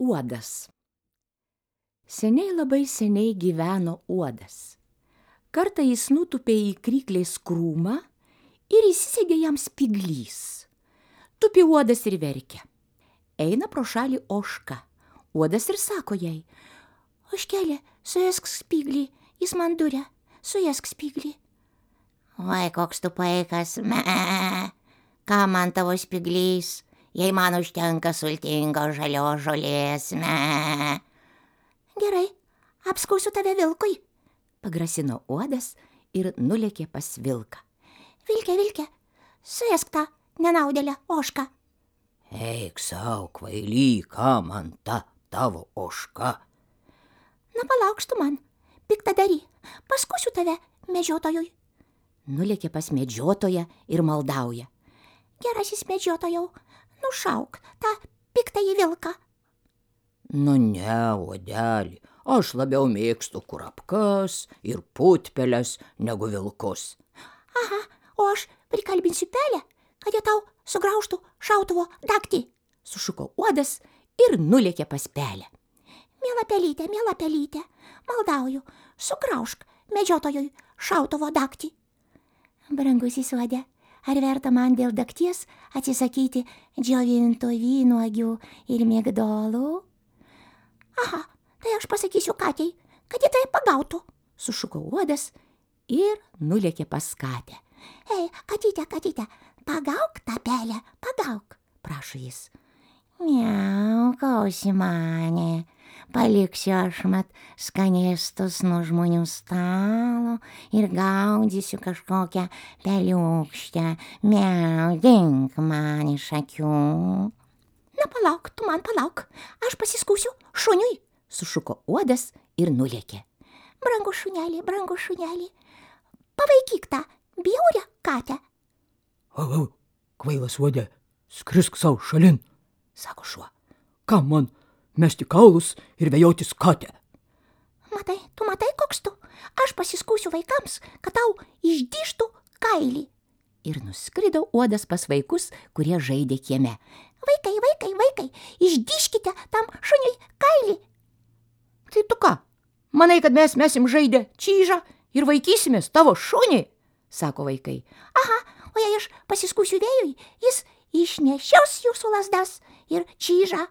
Uodas. Seniai labai seniai gyveno uodas. Kartą jis nutūpė į kryklės krūmą ir įsisegė jam spyglys. Tupi uodas ir verkia. Eina pro šalį ožka. Uodas ir sako jai: "Ožkelė, suėsk spyglį, jis man duria, suėsk spyglį." "Oi, koks tu paikas, ką man tavo spyglys, jei man užtenka sultingos žalios žolės, "Gerai, apskausiu tave vilkui", pagrasino uodas ir nulėkė pas vilką. "Vilke, vilke, suėsk tą nenaudėlę ožką." "Eik sau, kvaily, ką man ta tavo ožka?" "Na, palaukš tu man, piktadary, paskusiu tave medžiotojui." Nulėkė pas medžiotoją ir maldauja: "Gerasis medžiotojau, nušauk tą piktąjį vilką." "Nu ne, uodeli, aš labiau mėgstu kurapkas ir putpeles negu vilkus." "Aha, o aš prikalbinsiu pelę, kad jie tau sugraužtų šautuvo dagtį", sušuko uodas ir nulėkė pas pelę. Miela pelyte, maldauju, sugraužk medžiotojui šautuvo dagtį." "Brangusis uode, ar verta man dėl dagties atsisakyti džiovintų vynuogių ir migdolų?" "Aha, tai aš pasakysiu katei, kad ji tai pagautų", sušuko uodas ir nulėkė pas katę. "Ei, katyte, pagauk tą pelę, pagauk", prašo jis. "Miau, kausi mane, paliksiu aš mat skanėstus nuo žmonių stalo ir gaudysiu kažkokią peliukštę, miau, dink man iš akių." "Na, palauk, tu man palauk, aš pasiskųsiu šuniui", sušuko uodas ir nulėkė. Brangus šuneli, pavaikyk tą bjaurią katę." "Au, kvailas uode, skrisk sau šalin", sako šuo. "Kam man mesti kaulus ir vejotis katę?" Tu matai, koks tu, aš pasiskųsiu vaikams, kad tau išdyžtų kailį." Ir nuskrido uodas pas vaikus, kurie žaidė kieme. Vaikai, išdyžkite tam šuniui kailį." "Tai tu ką, manai, kad mes mesim žaidę čyžą ir vaikysimės tavo šunį?" sako vaikai. "Aha, o jei aš pasiskųsiu vėjui, jis išnešios jūsų lazdas ir čyžą."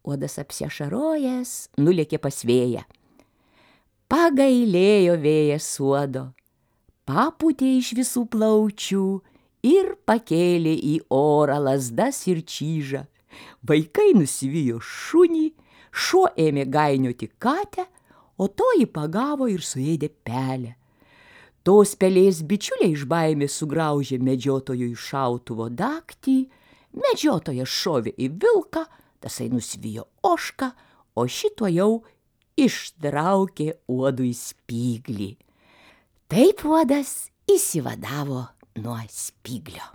Uodas apsiašarojęs nulėkė pas vėją. Pagailėjo vėjas uodo, papūtė iš visų plaučių ir pakėlė į orą lazdas ir čyžą. Vaikai nusivijo šunį, šuo ėmė gainioti katę, o toji pagavo ir suėdė pelę. Tos pelės bičiuliai iš baimės sugraužė medžiotojui šautuvo dagtį, medžiotojas šovė į vilką, tasai nusivijo ožką, o šito jau ištraukė uodui spyglį. Taip uodas išsivadavo nuo spyglio.